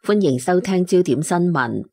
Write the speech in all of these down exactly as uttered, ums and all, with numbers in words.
歡迎收聽焦點新聞。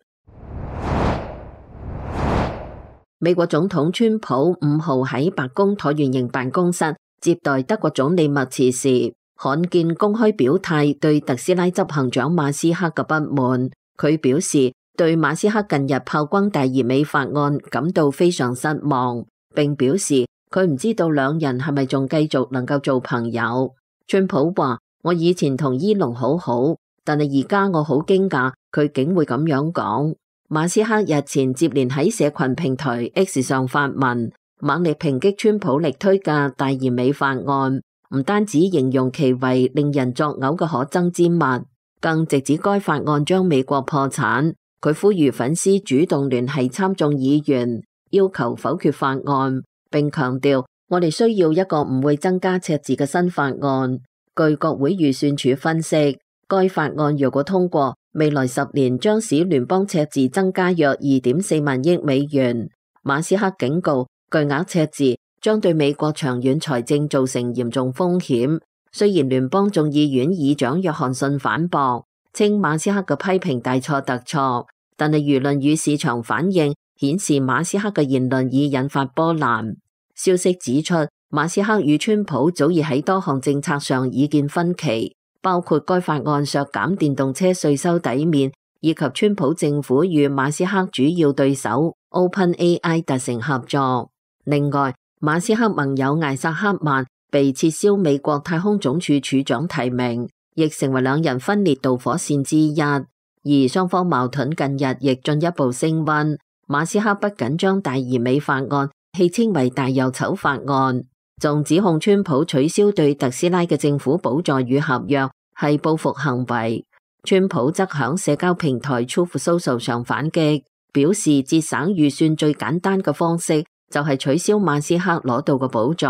美國總統川普五號喺白宮橢圓形辦公室接待德國總理默茨時，罕見公開表態對特斯拉執行長馬斯克嘅不滿。佢表示對馬斯克近日炮轟大而美法案感到非常失望，並表示佢唔知道兩人係咪仲繼續能夠做朋友。川普話：我以前同伊隆好好，但係而家我好驚訝佢竟會咁樣講。馬斯克日前接連喺社群平台 X 上發文，猛烈抨擊川普力推嘅大而美法案，唔單止形容其為令人作嘔嘅可憎之物，更直指該法案將美國破產。佢呼籲粉絲主動聯繫參眾議員，要求否決法案，並強調我哋需要一個唔會增加赤字嘅新法案。據國會預算署分析，該法案若果通過，未來十年將使聯邦赤字增加約二點四萬億美元。馬斯克警告，巨額赤字將對美國長遠財政造成嚴重風險。雖然聯邦眾議院議長約翰遜反駁，稱馬斯克嘅批評大錯特錯，但係輿論與市場反應顯示馬斯克嘅言論已引發波瀾。消息指出，馬斯克與川普早已喺多項政策上意見分歧，包括該法案削減電動車稅收抵免，以及川普政府與馬斯克主要對手 OpenAI 達成合作。另外，馬斯克盟友艾薩克曼被撤銷美國太空總署署長提名，亦成為兩人分裂導火線之一。而雙方矛盾近日亦進一步升溫。馬斯克不僅將大而美法案戲稱為大又醜法案，仲指控川普取消對特斯拉嘅政府補助與合約係報復行為。川普則響社交平台 Truth Social 上反擊，表示節省預算最簡單嘅方式就係取消馬斯克攞到嘅補助。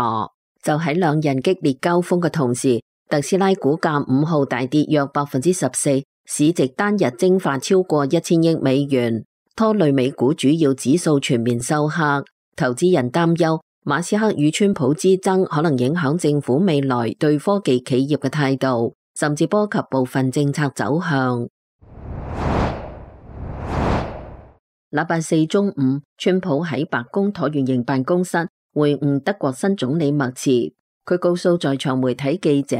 就喺兩人激烈交鋒嘅同時，特斯拉股價五號大跌約百分之十四，市值單日蒸發超過一千億美元，拖累美股主要指數全面收黑。投資人擔憂馬斯克與川普之爭可能影響政府未來對科技企業嘅態度，甚至波及部分政策走向。禮拜四中午，川普喺白宮橢圓形辦公室會晤德國新總理默茨。佢告訴在場媒體記者，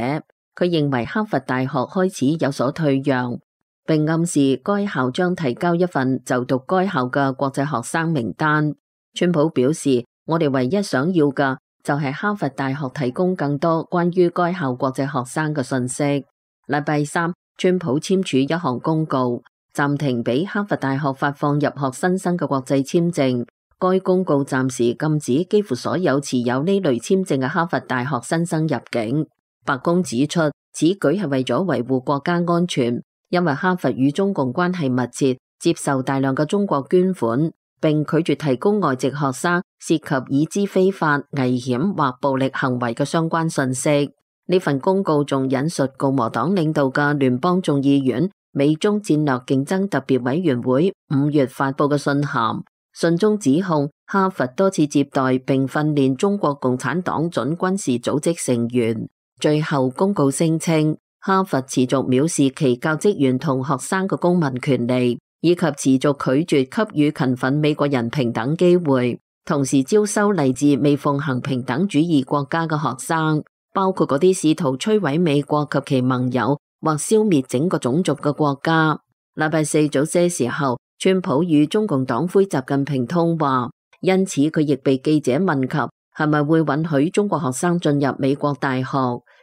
佢認為哈佛大學開始有所退讓，並暗示該校將提交一份就讀該校嘅國際學生名單。川普表示，我哋唯一想要嘅就係哈佛大學提供更多關於該校國際學生嘅信息。禮拜三，川普簽署一項公告，暫停俾哈佛大學發放入學新生嘅國際簽證。該公告暫時禁止幾乎所有持有呢類簽證嘅哈佛大學新生入境。白宮指出，此舉係為咗維護國家安全，因為哈佛與中共關係密切，接受大量嘅中國捐款，並拒絕提供外籍學生涉及已知非法、危險或暴力行為嘅相關信息。呢份公告仲引述共和黨領導嘅聯邦眾議院美中戰略競爭特別委員會五月發佈嘅信函，信中指控哈佛多次接待並訓練中國共產黨準軍事組織成員。最後公告聲稱，哈佛持續藐視其教職員同學生嘅公民權利，以及持續拒絕給予勤奮美國人平等機會，同時招收嚟自未奉行平等主義國家嘅學生，包括嗰啲試圖摧毀美國及其盟友或消滅整個種族嘅國家。禮拜四早些時候，川普與中共黨魁習近平通話，因此佢亦被記者問及係咪會允許中國學生進入美國大學。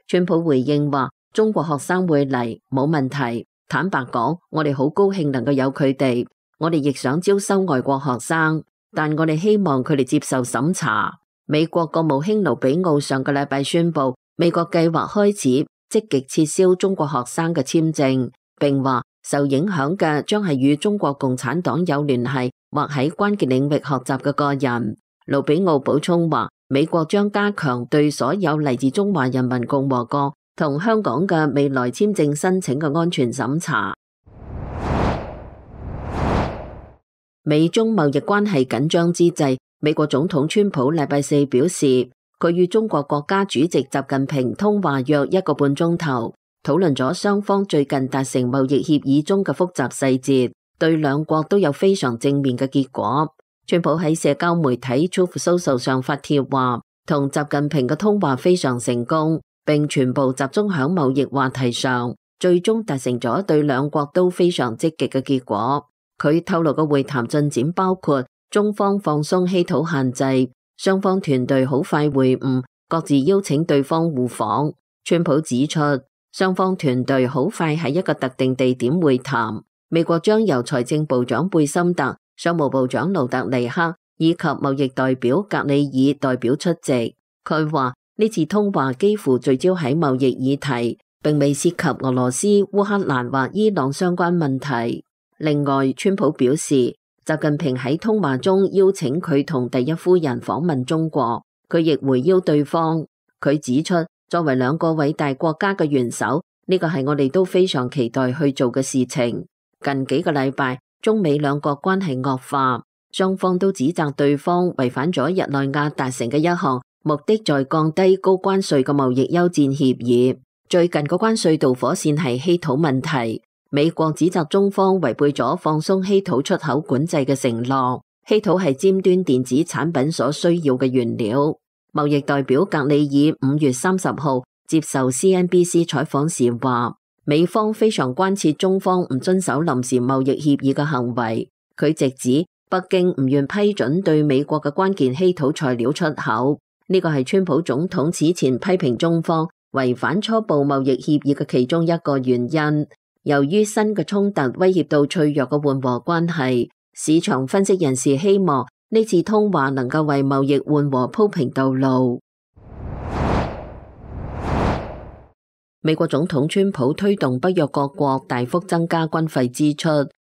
川普回應話，中國學生會嚟，冇問題。坦白講，我哋好高興能夠有佢哋，我哋亦想招收外國學生，但我哋希望佢哋接受審查。美國國務卿盧比奧上個禮拜宣布，美國計劃開始積極撤銷中國學生嘅簽證，並話受影響嘅將係與中國共產黨有聯繫或喺關鍵領域學習嘅個人。盧比奧補充話，美國將加強對所有嚟自中華人民共和國同香港嘅未來簽證申請嘅安全審查。美中貿易關係緊張之際，美國總統川普禮拜四表示，佢與中國國家主席習近平通話約一個半鐘頭，討論咗雙方最近達成貿易協議中嘅複雜細節，對兩國都有非常正面嘅結果。川普喺社交媒體 Truth Social 上發帖話，同習近平嘅通話非常成功，並全部集中響貿易話題上，最終達成咗對兩國都非常積極嘅結果。佢透露嘅會談進展包括中方放鬆稀土限制，雙方團隊好快會晤，各自邀請對方互訪。川普指出，雙方團隊好快喺一個特定地點會談，美國將由財政部長貝森特、商務部長盧特尼克以及貿易代表格里爾代表出席。佢話呢次通話幾乎聚焦喺貿易議題，並未涉及俄羅斯、烏克蘭或伊朗相關問題。另外，川普表示，習近平喺通話中邀請佢同第一夫人訪問中國，佢亦回邀對方。佢指出，作為兩個偉大國家嘅元首，呢個係我哋都非常期待去做嘅事情。近幾個禮拜，中美兩國關係惡化，雙方都指責對方違反咗日內瓦達成嘅一項目的在降低高關稅嘅貿易休戰協議。最近個關稅導火線係稀土問題，美國指責中方違背咗放鬆稀土出口管制嘅承諾。稀土係尖端電子產品所需要嘅原料。貿易代表格里爾五月三十號接受 C N B C 採訪時話，美方非常關切中方唔遵守臨時貿易協議嘅行為。佢直指北京唔願批准對美國嘅關鍵稀土材料出口，呢個係川普總統此前批評中方違反初步貿易協議嘅其中一個原因。由於新嘅衝突威脅到脆弱嘅緩和關係，市場分析人士希望呢次通話能夠為貿易緩和鋪平道路。美國總統川普推動北約各國大幅增加軍費支出，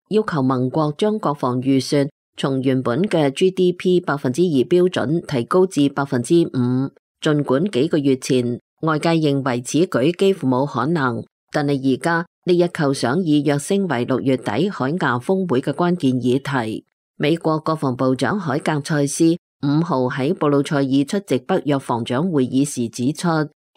要求盟國將國防預算從原本嘅 G D P 百分之二標準提高至百分之五。儘管幾個月前外界認為此舉幾乎冇可能，但係而家呢一構想已躍升為六月底海牙峰會嘅關鍵議題。美國國防部長海格塞斯五號喺布魯塞爾出席北約防長會議時指出，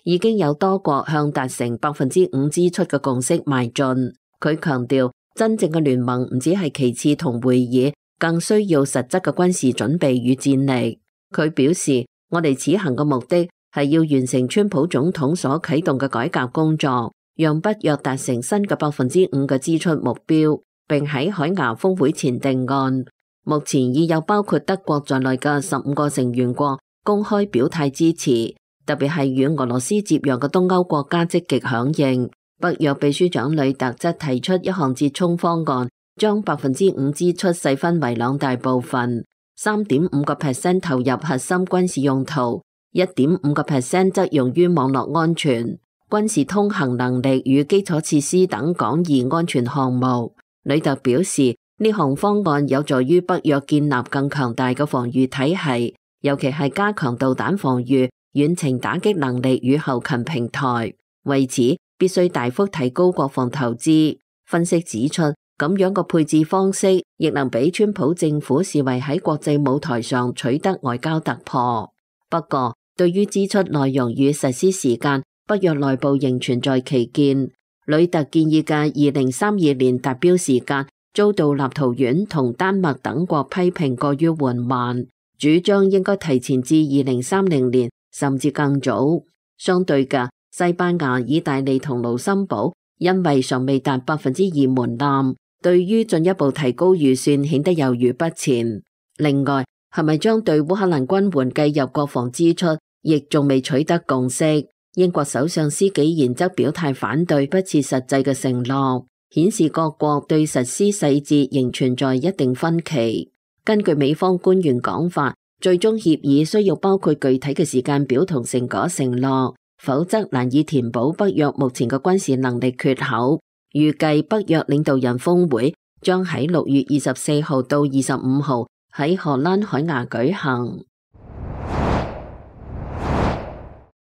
已經有多國向達成百分之五支出嘅共識邁進。佢強調，真正嘅聯盟唔只係其次同會議，更需要實質嘅軍事準備與戰力。佢表示，我哋此行嘅目的係要完成川普總統所啟動嘅改革工作，讓北約達成新嘅百分之五嘅支出目標，並喺海牙峰會前定案。目前已有包括德國在內嘅十五個成員國公開表態支持。特別係與俄羅斯接壤嘅東歐國家積極響應。北約秘書長呂特則提出一項折衷方案，將百分之五支出細分為兩大部分，三點五個 percent 投入核心軍事用途，一點五個 percent 則用於網絡安全、軍事通行能力與基礎設施等廣義安全項目。呂特表示，呢項方案有助於北約建立更強大嘅防禦體系，尤其係加強導彈防禦、遠程打擊能力與後勤平台，為此必須大幅提高國防投資。分析指出，咁樣個配置方式亦能俾川普政府視為喺國際舞台上取得外交突破。不過，對於支出內容與實施時間，北約內部仍存在歧見。呂特建議嘅二零三二年達標時間遭到立陶宛同丹麥等國批評過於緩慢，主張應該提前至二零三零年。甚至更早。相對嘅，西班牙、意大利同盧森堡因為尚未達百分之二門檻，對於進一步提高預算顯得猶豫不前。另外，係咪將對烏克蘭軍援計入國防支出，亦仲未取得共識。英國首相施紀賢則表態反對不切實際嘅承諾，顯示各國對實施細節仍存在一定分歧。根據美方官員講法，最終協議需要包括具體嘅時間表同成果承諾，否則難以填補北約目前嘅軍事能力缺口。預計北約領導人峰會將喺六月二十四號到二十五號喺荷蘭海牙舉行。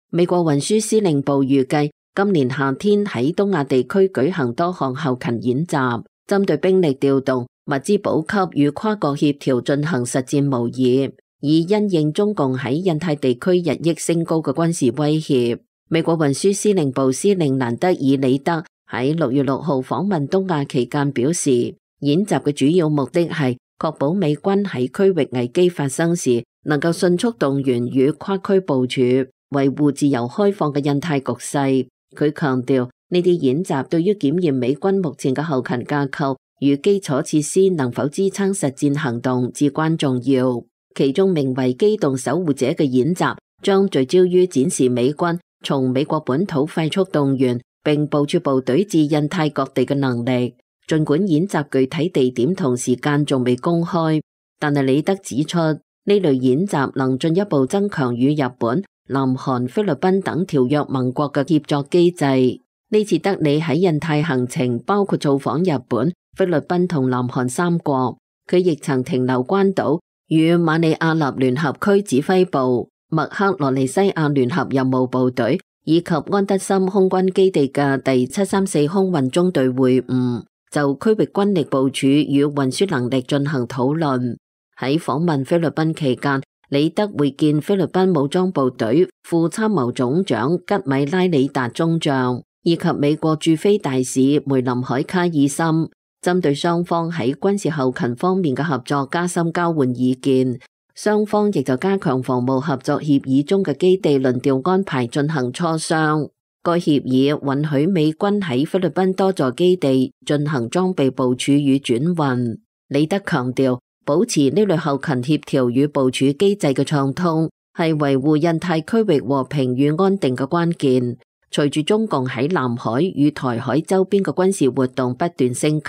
美國運輸司令部預計今年夏天喺東亞地區舉行多項後勤演習，針對兵力調動、物資補給與跨國協調進行實戰模擬，以因應中共喺印太地區日益升高嘅軍事威脅。美國運輸司令部司令蘭德爾里德喺六月六號訪問東亞期間表示，演習嘅主要目的係確保美軍喺區域危機發生時能夠迅速動員與跨區部署，維護自由開放嘅印太局勢。佢強調，呢啲演習對於檢驗美軍目前嘅後勤架構與基礎設施能否支撐實戰行動至關重要。其中名為機動守護者嘅演習將聚焦於展示美軍從美國本土快速動員並部署部隊至印太各地嘅能力。儘管演習具體地點同時間仲未公開，但係李德指出，呢類演習能進一步增強與日本、南韓、菲律賓等條約盟國嘅協作機制。呢次德里喺印太行程包括造訪日本、菲律賓同南韓三國，佢亦曾停留關島，與馬里亞納聯合區指揮部、麥克羅尼西亞聯合任務部隊以及安德森空軍基地嘅第七三四空運中隊會晤，就區域軍力部署與運輸能力進行討論。喺訪問菲律賓期間，李德會見菲律賓武裝部隊副參謀總長吉米拉里達中將，以及美國駐菲大使梅林海卡爾森，針對雙方喺軍事後勤方面嘅合作加深交換意見。雙方亦就加強防務合作協議中嘅基地輪調安排進行磋商。該協議允許美軍喺菲律賓多座基地進行裝備部署與轉運。李德強調，保持呢類後勤協調與部署機制嘅暢通，係維護印太區域和平與安定嘅關鍵。隨住中共喺南海與台海周邊嘅軍事活動不斷升級，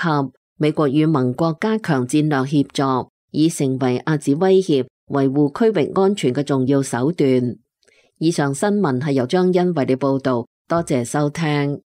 美國與盟國加強戰略協作，已成為遏止威脅、維護區域安全嘅重要手段。以上新聞係由張欣為你報道，多謝收聽。